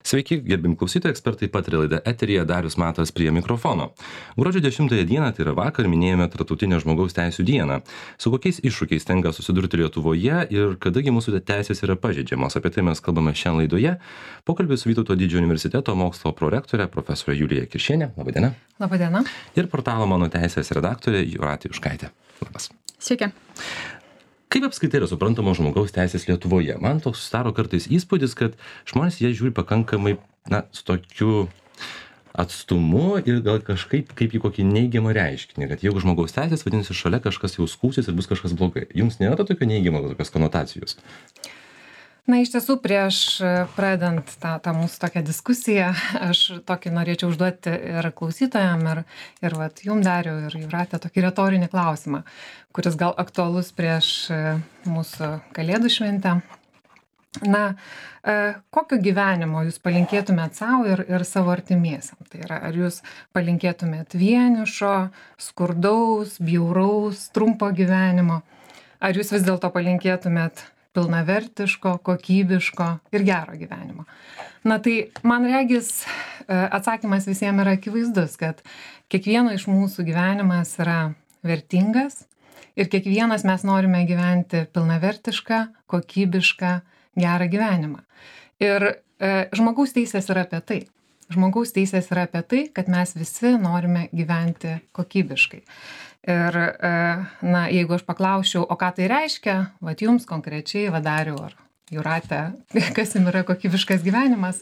Sveiki, gerbim klausytojai, ekspertai pataria laida eteryje, Darius Matas prie mikrofono. Gruodžio 10 dieną, tai yra vakar, minėjome Tarptautinę žmogaus teisių dieną. Su kokiais iššūkiais tenka susidurti Lietuvoje ir kadagi mūsų teisės yra pažeidžiamos, apie tai mes kalbame šiandien laidoje. Pokalbį su Vytauto Didžiojo universiteto mokslo prorektorė profesorė Julija Kiršienė. Labadiena. Labadiena. Ir portalo Mano teisės redaktorė Jūratė Juškaitė. Labas. Sveiki. Kaip apskritai yra suprantama žmogaus teisės Lietuvoje? Man toks sudaro kartais įspūdis, kad žmonės jie žiūri pakankamai, su tokiu atstumu ir gal kažkaip kaip į kokį neigiamą reiškinį, kad jeigu žmogaus teisės, vadinasi, šalia kažkas jau skųsis ir bus kažkas blogai. Jums nėra to tokio neigiamo tokios konotacijos? Na, iš tiesų, prieš pradedant tą mūsų tokią diskusiją, aš tokį norėčiau užduoti ir klausytojam, ir vat, jum Dariau, ir Jūratė, tokį retorinį klausimą, kuris gal aktualus prieš mūsų Kalėdų šventę. Na, kokio gyvenimo jūs palinkėtumėt savo ir savo artimiesiam? Tai yra, ar jūs palinkėtumėt vienišo, skurdaus, bjauraus, trumpo gyvenimo? Ar jūs vis dėlto palinkėtumėt pilnavertiško, kokybiško ir gero gyvenimo? Na tai, man regis, atsakymas visiems yra akivaizdus, kad kiekvieno iš mūsų gyvenimas yra vertingas ir kiekvienas mes norime gyventi pilnavertišką, kokybišką, gerą gyvenimą. Ir žmogaus teisės yra apie tai. Žmogaus teisės yra apie tai, kad mes visi norime gyventi kokybiškai. Ir, na, jeigu aš paklausčiau, o ką tai reiškia, vat jums konkrečiai, Dariau ar Jūratė, kas jums yra kokybiškas gyvenimas,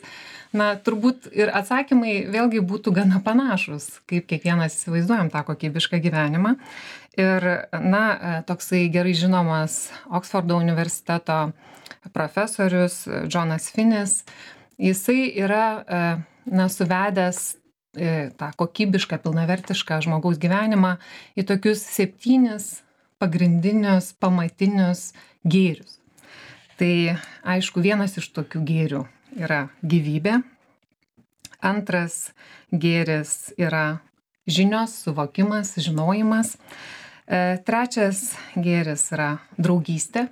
na, turbūt ir atsakymai vėlgi būtų gana panašus, kaip kiekvienas įsivaizduojam tą kokybišką gyvenimą. Ir, na, toksai gerai žinomas Oksfordo universiteto profesorius Jonas Finis, jisai yra, na, suvedęs tą kokybišką, pilnavertišką žmogaus gyvenimą į tokius 7 pagrindinius, pamatinius gėrius. Tai, aišku, vienas iš tokių gėrių yra gyvybė. Antras gėris yra žinios, suvokimas, žinojimas. Trečias gėris yra draugystė.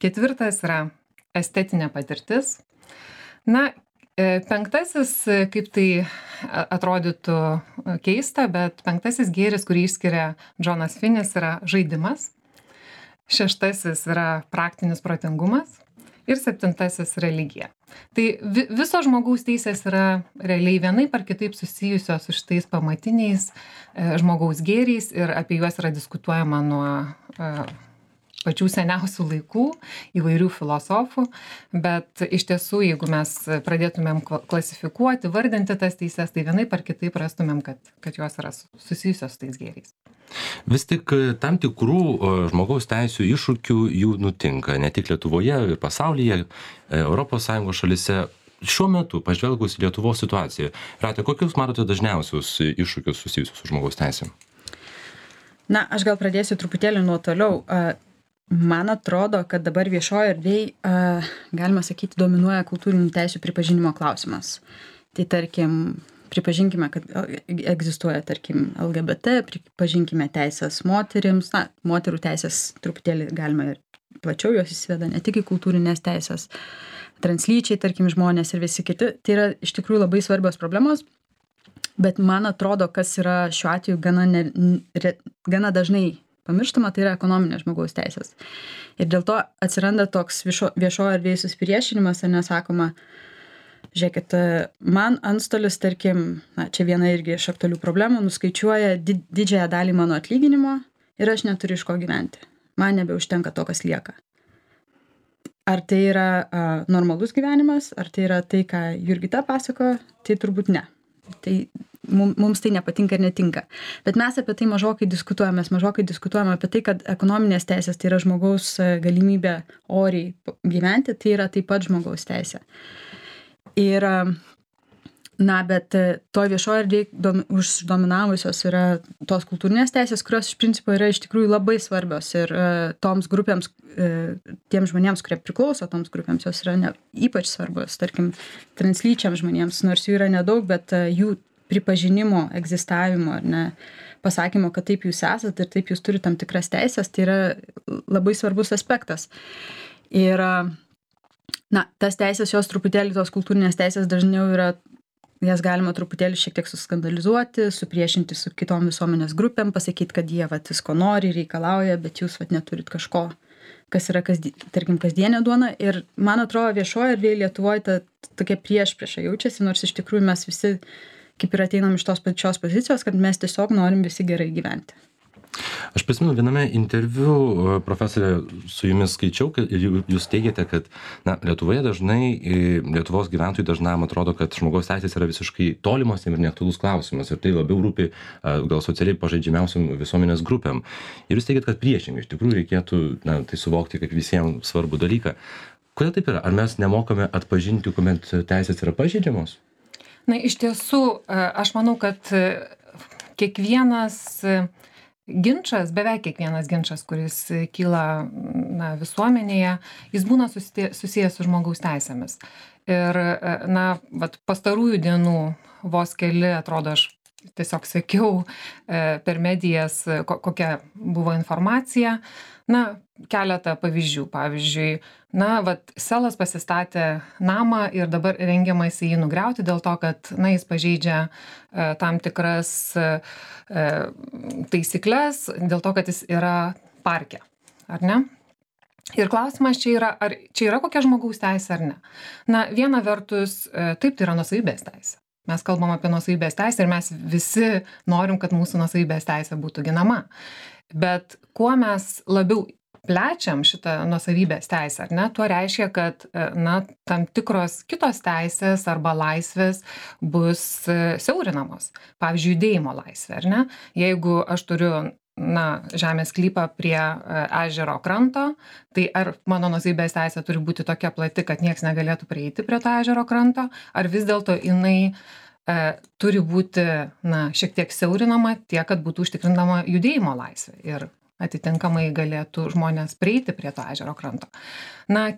Ketvirtas yra estetinė patirtis. Na, penktasis, kaip tai atrodytų keista, bet penktasis gėris, kurį išskiria Jonas Finis, yra žaidimas. Šeštasis yra praktinis protingumas. Ir septintasis religija. Tai viso žmogaus teisės yra realiai vienaip ar kitaip susijusios su šitais pamatiniais žmogaus gėriais ir apie juos yra diskutuojama nuo pačių seniausių laikų, įvairių filosofų, bet iš tiesų, jeigu mes pradėtumėm klasifikuoti, vardinti tas teises, tai vienaip ar kitaip rastumėm, kad jos yra susijusios su tais gėriais. Vis tik tam tikrų žmogaus teisių iššūkių jų nutinka, ne tik Lietuvoje ir pasaulyje, ES šalyse. Šiuo metu, pažvelgus į Lietuvos situaciją, Rate, kokius matote dažniausius iššūkius susijusius su žmogaus teisėm? Na, aš gal pradėsiu truputėlį nuo toliau. Man atrodo, kad dabar viešoje erdvėje, galima sakyti, dominuoja kultūrinių teisių pripažinimo klausimas. Tai tarkim, pripažinkime, kad egzistuoja, tarkim, LGBT, pripažinkime teisės moterims, na, moterų teisės truputėlį galima ir plačiau jos įsiveda, ne tik į kultūrinės teisės, translyčiai, tarkim, žmonės ir visi kiti. Tai yra iš tikrųjų labai svarbios problemos, bet man atrodo, kas yra šiuo atveju gana dažnai pamirštama, tai yra ekonominės žmogaus teisės. Ir dėl to atsiranda toks viešoje erdvėje susipriešinimas, ar nesakoma, žiūrėkit, man antstolis, tarkim, na, čia viena irgi iš aktualių problemų, nuskaičiuoja didžiąją dalį mano atlyginimo ir aš neturiu iš ko gyventi. Man nebeužtenka to, kas lieka. Ar tai yra normalus gyvenimas, ar tai yra tai, ką Jurgita pasakojo, tai turbūt ne. Tai mums tai nepatinka ir netinka. Bet mes apie tai mažokai diskutuojame apie tai, kad ekonominės teisės tai yra žmogaus galimybė oriai gyventi, tai yra taip pat žmogaus teisė. Ir, na, bet to viešoje erdvėje uždominavusios yra tos kultūrinės teisės, kurios iš principo yra iš tikrųjų labai svarbios ir toms grupėms, tiems žmonėms, kurie priklauso toms grupėms, jos yra ypač svarbios, tarkim, translyčiams žmonėms, nors jų yra nedaug, bet jų pripažinimo, egzistavimo, ar ne, pasakymo, kad taip jūs esat ir taip jūs turite tam tikras teisės, tai yra labai svarbus aspektas. Ir Na, tas teisės, jos truputėlį, tos kultūrinės teisės dažniau yra, jas galima truputėlį šiek tiek suskandalizuoti, supriešinti su kitom visuomenės grupėm, pasakyti, kad jie visko nori, reikalauja, bet jūs neturit kažko, kas yra, tarkim, kasdienė duona. Ir man atrodo, viešoje erdvėje Lietuvoje tokia priešprieša jaučiasi, nors iš tikrųjų mes visi kaip ir ateinam iš tos pačios pozicijos, kad mes tiesiog norim visi gerai gyventi. Aš prisimenu, viename interviu, profesorė, su jumis skaičiau, ir jūs teigiate, kad Lietuvoje dažnai, Lietuvos gyventojai dažnam atrodo, kad žmogaus teisės yra visiškai tolimos ir neaktualus klausimas, ir tai labiau rūpi gal socialiai pažeidžiamiausiam visuomenės grupėm. Ir jūs teigiat, kad priešingai, iš tikrųjų reikėtų tai suvokti kaip visiems svarbų dalyką. Kodėl taip yra? Ar mes nemokame atpažinti, kuomet teisės yra pažeidžiamos? Na, iš tiesų, aš manau, kad beveik kiekvienas ginčas, kuris kyla visuomenėje, jis būna susijęs su žmogaus teisėmis. Ir pastarųjų dienų vos keli, atrodo, aš tiesiog sekiau per medijas, kokia buvo informacija. Keletą pavyzdžių. Pavyzdžiui, Selas pasistatė namą ir dabar rengiamasi jį nugriauti dėl to, kad jis pažeidžia tam tikras taisyklės, dėl to, kad jis yra parke, ar ne? Ir klausimas čia yra, ar čia yra kokia žmogaus teisė ar ne. Viena vertus, taip, tai yra nuosavybės teisė. Mes kalbam apie nuosavybės teisę ir mes visi norim, kad mūsų nuosavybės teisė būtų ginama. Bet kuo mes labiau plečiam šitą nuosavybės teisę, ar ne, tuo reiškia, kad tam tikros kitos teisės arba laisvės bus siaurinamos. Pavyzdžiui, judėjimo laisvė, ar ne? Jeigu aš turiu žemės sklypą prie ežero kranto, tai ar mano nuosavybės teisė turi būti tokia plati, kad nieks negalėtų prieiti prie to ežero kranto, ar vis dėlto jinai turi būti šiek tiek siaurinama tiek, kad būtų užtikrinama judėjimo laisvė ir atitinkamai galėtų žmonės prieiti prie to ežero kranto.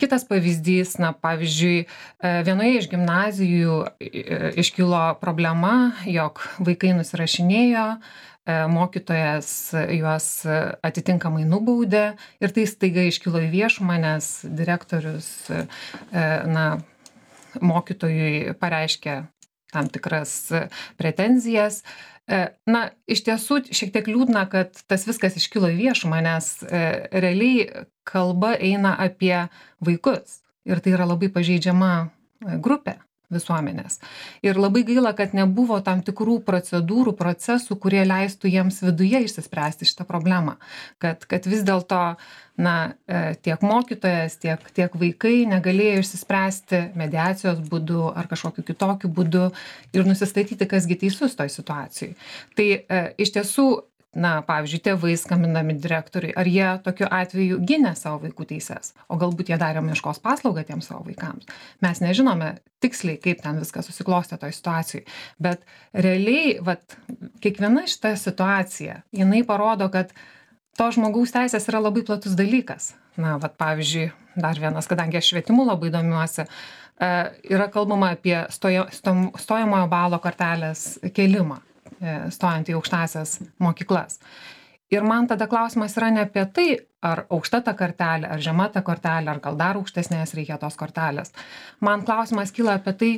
Kitas pavyzdys, pavyzdžiui, vienoje iš gimnazijų iškilo problema, jog vaikai nusirašinėjo, mokytojas juos atitinkamai nubaudė ir tai staiga iškilo į viešumą, nes direktorius mokytojui pareiškė tam tikras pretenzijas. Iš tiesų, šiek tiek liūdna, kad tas viskas iškilo į viešumą, nes realiai kalba eina apie vaikus ir tai yra labai pažeidžiama grupė visuomenės. Ir labai gaila, kad nebuvo tam tikrų procedūrų, procesų, kurie leistų jiems viduje išsispręsti šitą problemą. Kad vis dėlto tiek mokytojas, tiek vaikai negalėjo išsispręsti mediacijos būdu ar kažkokiu kitokiu būdu ir nusistatyti, kasgi teisus toj situacijai. Tai iš tiesų, pavyzdžiui, tėvai skambindami direktoriui, ar jie tokiu atveju gynė savo vaikų teises, o galbūt jie darė meškos paslaugą tiems savo vaikams. Mes nežinome tiksliai, kaip ten viskas susiklostė toj situacijai, bet realiai, kiekviena šita situacija, jinai parodo, kad to žmogaus teisės yra labai platus dalykas. Pavyzdžiui, dar vienas, kadangi aš švietimu labai domiuosi, yra kalbama apie stojamojo balo kartelės kėlimą, stojant į aukštąsias mokyklas. Ir man tada klausimas yra ne apie tai, ar aukšta ta kartelė, ar žema ta kartelė, ar gal dar aukštesnės reikia tos kartelės. Man klausimas kyla apie tai,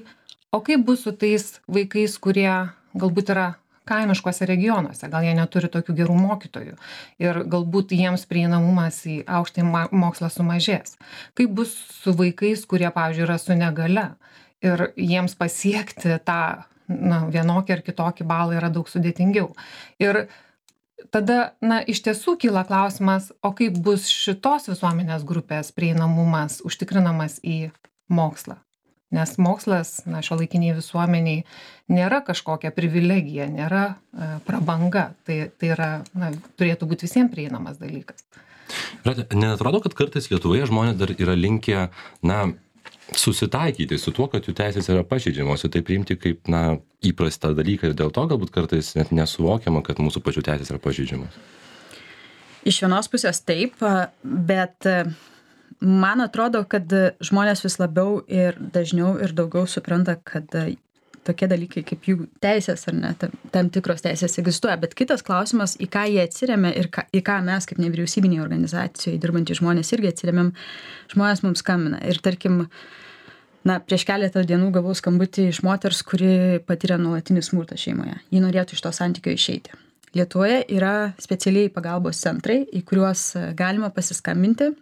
o kaip bus su tais vaikais, kurie galbūt yra kaimiškuose regionuose, gal jie neturi tokių gerų mokytojų ir galbūt jiems prieinamumas į aukštąjį mokslą sumažės. Kaip bus su vaikais, kurie, pavyzdžiui, yra su negale ir jiems pasiekti tą vienokį ar kitokį balą yra daug sudėtingiau. Ir tada, iš tiesų kyla klausimas, o kaip bus šitos visuomenės grupės prieinamumas užtikrinamas į mokslą. Nes mokslas šiuolaikiniai visuomeniai nėra kažkokia privilegija, nėra prabanga. Tai yra, turėtų būti visiems prieinamas dalykas. Neatrodo, kad kartais Lietuvoje žmonės dar yra linkę, susitaikyti su tuo, kad jų teisės yra pažeidžiamos ir tai priimti kaip, įprastą dalyką ir dėl to galbūt kartais net nesuvokiama, kad mūsų pačių teisės yra pažeidžiamos? Iš vienos pusės taip, bet man atrodo, kad žmonės vis labiau ir dažniau ir daugiau supranta, kad tokie dalykai kaip jų teisės ar ne, tam tikros teisės egzistuoja. Bet kitas klausimas, į ką jie atsiremia ir į ką mes kaip nevyriausybinėje organizacijoje dirbantys žmonės irgi atsiremiam, žmonės mums skambina. Ir tarkim, Na, prieš keletą dienų gavau skambutį iš moters, kuri patyrė nuolatinį smurtą šeimoje. Ji norėtų iš to santykio išeiti. Lietuvoje yra specialiai pagalbos centrai, į kuriuos galima pasiskambinti.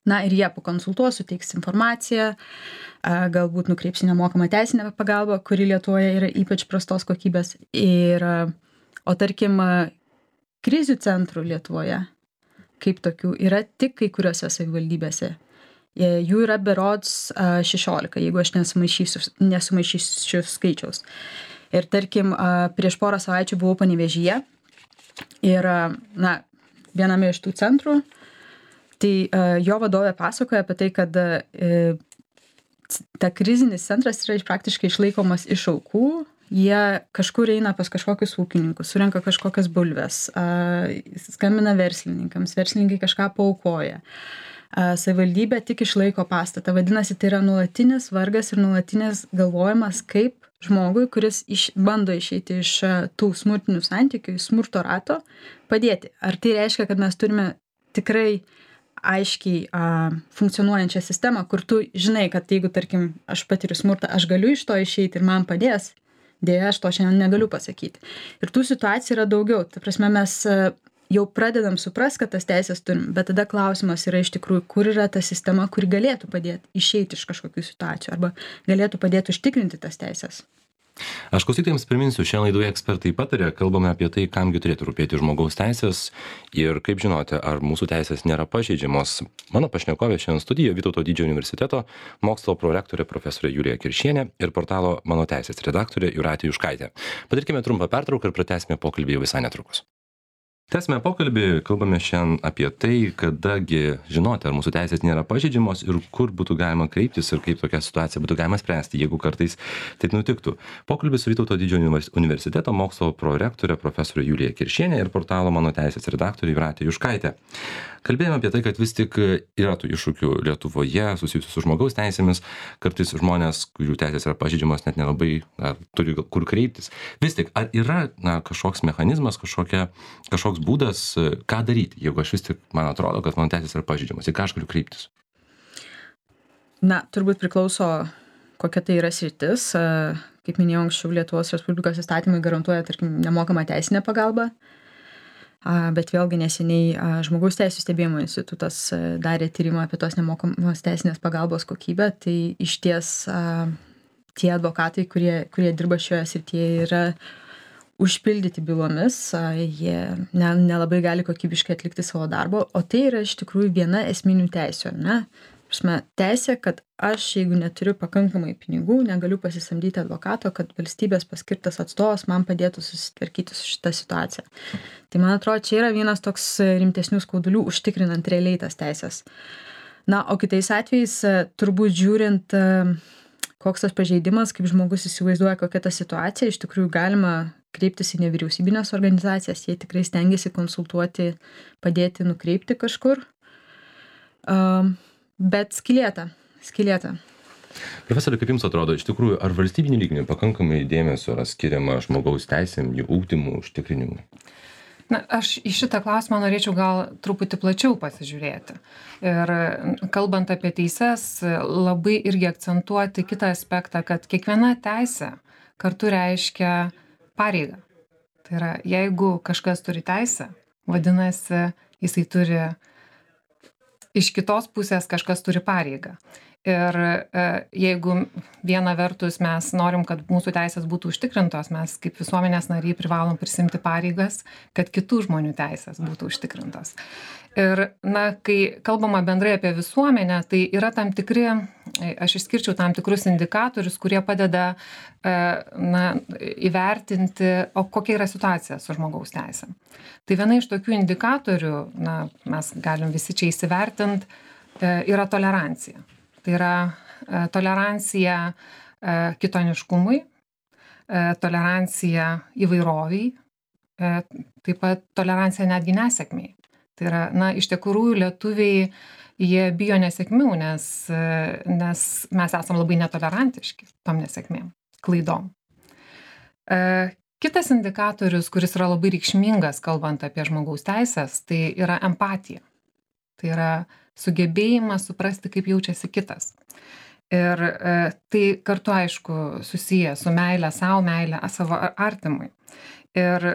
Na ir jie pakonsultuos, suteiks informaciją, galbūt nukreips į nemokamą teisinę pagalbą, kuri Lietuvoje yra ypač prastos kokybės. O tarkim, krizių centrų Lietuvoje, kaip tokių, yra tik kai kuriuose savivaldybėse. Jų yra berods 16, jeigu aš nesumaišysiu skaičiaus. Ir tarkim, prieš porą savaičių buvau Panevėžyje ir, viename iš tų centrų, tai jo vadovė pasakoja apie tai, kad ta krizinis centras yra praktiškai išlaikomas iš aukų, jie kažkur eina pas kažkokius ūkininkus, surenka kažkokias bulves, skambina verslininkams, verslininkai kažką paaukoja. Savivaldybė tik išlaiko pastatą. Vadinasi, tai yra nuolatinis vargas ir nuolatinis galvojimas, kaip žmogui, kuris bando išeiti iš tų smurtinių santykių, smurto rato, padėti. Ar tai reiškia, kad mes turime tikrai aiškiai funkcionuojančią sistemą, kur tu žinai, kad jeigu, tarkim, aš patiriu smurtą, aš galiu iš to išeiti ir man padės. Dėja, aš to šiandien negaliu pasakyti. Ir tų situacijų yra daugiau. Ta prasme, mes jau pradedam suprast, kad tas teisės turim, bet tada klausimas yra iš tikrųjų, kur yra ta sistema, kuri galėtų padėti išeiti iš kažkokių situacijų arba galėtų padėti užtikrinti tas teisės. Aš klausytojams priminsiu, šiandien laidoje ekspertai patarė, kalbame apie tai, kamgi turėtų rūpėti žmogaus teisės ir kaip žinote, ar mūsų teisės nėra pažeidžiamos. Mano pašnekovė šiandien studijoje Vytauto Didžiojo universiteto mokslo prorektorė profesorė Julija Kiršienė ir portalo Mano teisės redaktorė Jūratė Juškaitė. Padarykime trumpą pertrauką ir pratęsime pokalbį jau visai netrukus. Tęsime pokalbį, kalbame šiandien apie tai, kadagi žinoti, ar mūsų teisės nėra pažeidžiamos ir kur būtų galima kreiptis ir kaip tokią situaciją būtų galima spręsti, jeigu kartais taip nutiktų. Pokalbis su Vytauto Didžiojo universiteto mokslo prorektorė profesorė Julija Kiršienė ir portalo Mano teisės redaktorė Jūratė Juškaitė. Kalbėjome apie tai, kad vis tik yra tų iššūkių Lietuvoje susijusių su žmogaus teisėmis, kartais žmonės, kurių teisės yra pažeidžiamos, net nelabai turi kur kreiptis. Vis tik, ar yra kažkoks mechanizmas, kažkoks būdas, ką daryti, jeigu aš vis tik, man atrodo, kad mano teisės yra pažeidžiamos, į ką aš galiu kreiptis? Na, turbūt priklauso, kokia tai yra sritis. Kaip minėjau anksčiau, Lietuvos Respublikos įstatymai garantuoja, tarkim, nemokamą teisinę pagalbą. Bet vėlgi neseniai Žmogaus teisų stebėjimo institutas darė tyrimą apie tos nemokamos teisinės pagalbos kokybę. Tai išties tie advokatai, kurie dirba šioje srityje, yra užpildyti bylomis, jie nelabai gali kokybiškai atlikti savo darbo, o tai yra iš tikrųjų viena esminių teisių, ne? Teisė, kad aš, jeigu neturiu pakankamai pinigų, negaliu pasisamdyti advokato, kad valstybės paskirtas atstovas man padėtų susitvarkyti su šitą situaciją. Tai man atrodo, čia yra vienas toks rimtesnių skaudulių užtikrinant realiai tas teisės. Na, o kitais atvejais, turbūt žiūrint, koks tas pažeidimas, kaip žmogus įsivaizduoja, kokia ta situacija, iš tikrųjų galima kreiptis į nevyriausybinės organizacijas, jie tikrai stengiasi konsultuoti, padėti, nukreipti kažkur. Bet skylėta. Profesorė, kaip jums atrodo, iš tikrųjų, ar valstybinių lygmenių pakankamai dėmesio yra skiriama žmogaus teisėm, jų ugdymui, užtikrinimui? Na, aš į šitą klausimą norėčiau gal truputį plačiau pasižiūrėti. Ir kalbant apie teises, labai irgi akcentuoti kitą aspektą, kad kiekviena teisė kartu reiškia pareigą. Tai yra, jeigu kažkas turi teisę, vadinasi, jisai turi iš kitos pusės kažkas turi pareigą. Ir jeigu viena vertus mes norim, kad mūsų teisės būtų užtikrintos, mes kaip visuomenės nariai privalom prisimti pareigas, kad kitų žmonių teisės būtų užtikrintos. Ir, kai kalbama bendrai apie visuomenę, tai yra tam tikri, aš išskirčiau tam tikrus indikatorius, kurie padeda įvertinti, o kokia yra situacija su žmogaus teisėm. Tai viena iš tokių indikatorių, mes galim visi čia įsivertinti, yra tolerancija. Tai yra tolerancija kitoniškumui, tolerancija įvairoviai, taip pat tolerancija netgi nesėkmiai. Tai yra, iš tikrųjų lietuviai, jie bijo nesėkmių, nes mes esam labai netolerantiški tom nesėkmėm, klaidom. Kitas indikatorius, kuris yra labai reikšmingas, kalbant apie žmogaus teisės, tai yra empatija. Tai yra sugebėjimas suprasti, kaip jaučiasi kitas. Ir tai kartu, aišku, susiję su meilė savo, meilė savo artimui. Ir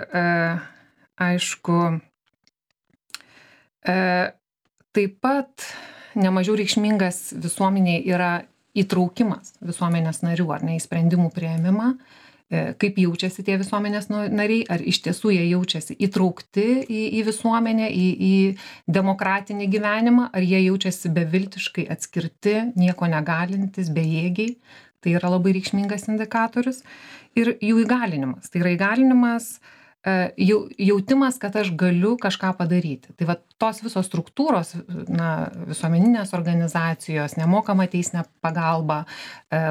aišku, taip pat nemažiau reikšmingas visuomeniai yra įtraukimas visuomenės narių, ar ne, į sprendimų priėmimą, kaip jaučiasi tie visuomenės nariai, ar iš tiesų jie jaučiasi įtraukti į visuomenę, į demokratinį gyvenimą, ar jie jaučiasi beviltiškai atskirti, nieko negalintis, bejėgiai. Tai yra labai reikšmingas indikatorius. Ir jų įgalinimas. Tai yra įgalinimas, jautimas, kad aš galiu kažką padaryti. Tai va tos visos struktūros, visuomeninės organizacijos, nemokama teisinė pagalba,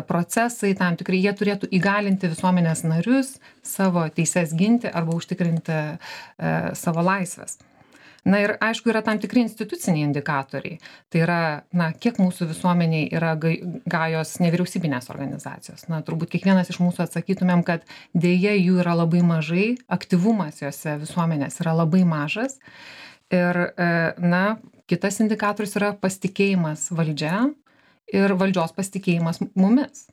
procesai tam tikrai, jie turėtų įgalinti visuomenės narius savo teises ginti arba užtikrinti savo laisvės. Na ir aišku, yra tam tikri instituciniai indikatoriai. Tai yra, kiek mūsų visuomeniai yra gajos nevyriausybinės organizacijos. Turbūt kiekvienas iš mūsų atsakytumėm, kad dėja jų yra labai mažai, aktyvumas jose visuomenės yra labai mažas. Ir, kitas indikatorius yra pasitikėjimas valdžia ir valdžios pasitikėjimas mumis.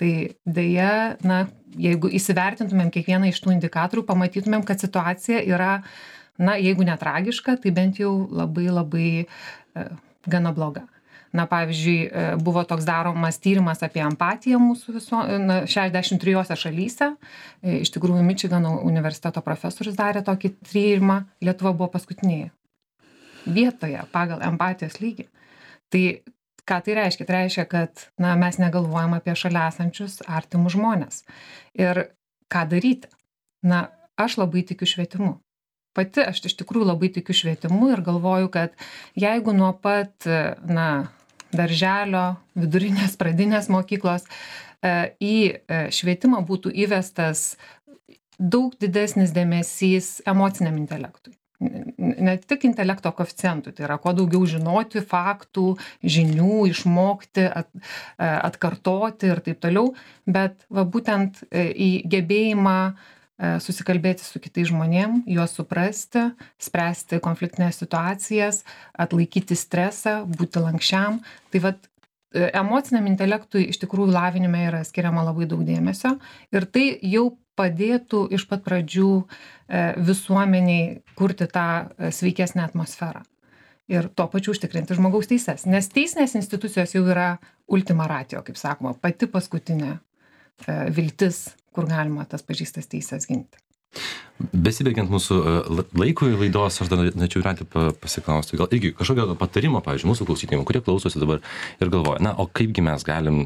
Tai dėja, jeigu įsivertintumėm kiekvieną iš tų indikatorių, pamatytumėm, kad situacija yra jeigu netragiška, tai bent jau labai labai gana bloga. Pavyzdžiui, buvo toks daromas tyrimas apie empatiją mūsų 63 šalyse. Iš tikrųjų, Mičigano universiteto profesorius darė tokį tyrimą, Lietuva buvo paskutinėje vietoje pagal empatijos lygį. Tai ką tai reiškia? Tai reiškia, kad mes negalvojam apie šalia esančius artimus žmonės. Ir ką daryti? Aš labai tikiu švietimu. Pati aš iš tikrųjų labai tikiu švietimu ir galvoju, kad jeigu nuo pat darželio, vidurinės, pradinės mokyklos į švietimą būtų įvestas daug didesnis dėmesys emociniam intelektui. Ne tik intelekto koeficientui, tai yra kuo daugiau žinoti faktų, žinių, išmokti, atkartoti ir taip toliau, bet būtent į gebėjimą susikalbėti su kitais žmonėm, juos suprasti, spręsti konfliktinės situacijas, atlaikyti stresą, būti lankščiam. Tai emociniam intelektui iš tikrųjų lavinime yra skiriama labai daug dėmesio ir tai jau padėtų iš pat pradžių visuomeniai kurti tą sveikesnę atmosferą ir tuo pačiu užtikrinti žmogaus teises. Nes teisinės institucijos jau yra ultima ratio, kaip sakoma, pati paskutinė viltis, kur galima tas pažįstas teises ginti. Besibaigiant mūsų laikui laidos, aš dar norėčiau Jūratė pasiklausti, gal irgi kažkokio patarimo, pavyzdžiui, mūsų klausytojams, kurie klausosi dabar ir galvoja, o kaipgi mes galim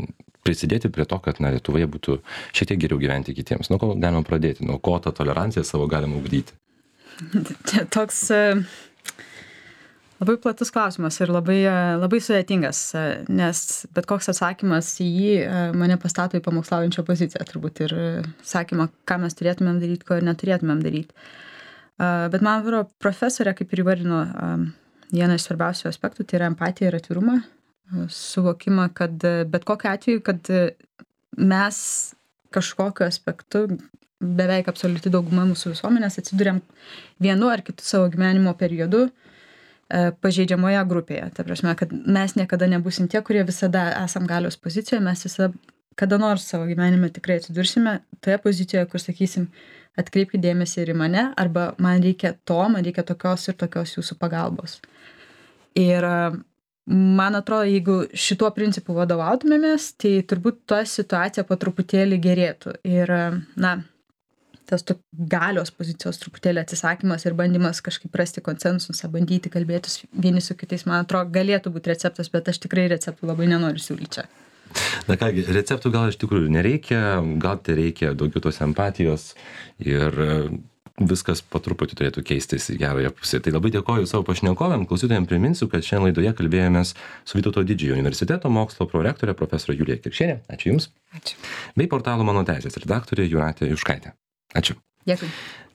prisidėti prie to, kad Lietuvoje būtų šiek tiek geriau gyventi kitiems. Nuo ko galima pradėti, nuo ko tą toleranciją savo galima ugdyti? Čia toks labai platus klausimas ir labai sudėtingas, nes bet koks atsakymas į jį mane pastato į pamokslaujančią poziciją turbūt ir sakymą, ką mes turėtumėm daryti, ko ir neturėtumėm daryti. Bet man atrodo, profesorė, kaip ir įvardino, vieną iš svarbiausių aspektų, tai yra empatija ir atvirumą, suvokimą, kad bet kokiu atveju, kad mes kažkokiu aspektu, beveik absoliuti dauguma mūsų visuomenės atsiduriam vienu ar kitu savo gyvenimo periodu pažeidžiamoje grupėje. Ta prasme, kad mes niekada nebusim tie, kurie visada esam galios pozicijoje, mes visada kada nors savo gyvenime tikrai atsidursime toje pozicijoje, kur sakysim, atkreipkite dėmesį ir į mane, arba man reikia tokios ir tokios jūsų pagalbos. Ir man atrodo, jeigu šituo principu vadovautumėmės, tai turbūt ta situacija po truputėlį gerėtų. Ir, tas galios pozicijos truputėlį atsisakymas ir bandymas kažkaip rasti konsensusą, bandyti kalbėtis vieni su kitais, man atrodo, galėtų būti receptas, bet aš tikrai receptų labai nenoriu siūlyti čia. Na kągi, receptų gal iš tikrųjų nereikia, gal tai reikia daugiau tos empatijos ir viskas po truputį turėtų keistis į gerąją pusę. Tai labai dėkoju savo pašnekovėm, klausytojams priminsiu, kad šiandien laidoje kalbėjomės su Vytauto Didžiojo universiteto mokslo prorektorė profesorė Julija Kirkšienė. Ačiū Jums. Ačiū. Bei portalo Mano teisės redaktorė Jūratė Juškaitė. Ačiū. Dėkui.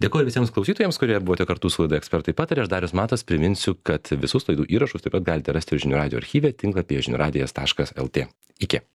Dėkoju visiems klausytojams, kurie buvote kartu su laida Ekspertai pataria. Aš Darius Matas priminsiu, kad visus laidų įrašus taip pat galite rasti Žinių radijo archyve tinklapyje žiniųradijas.lt. Iki.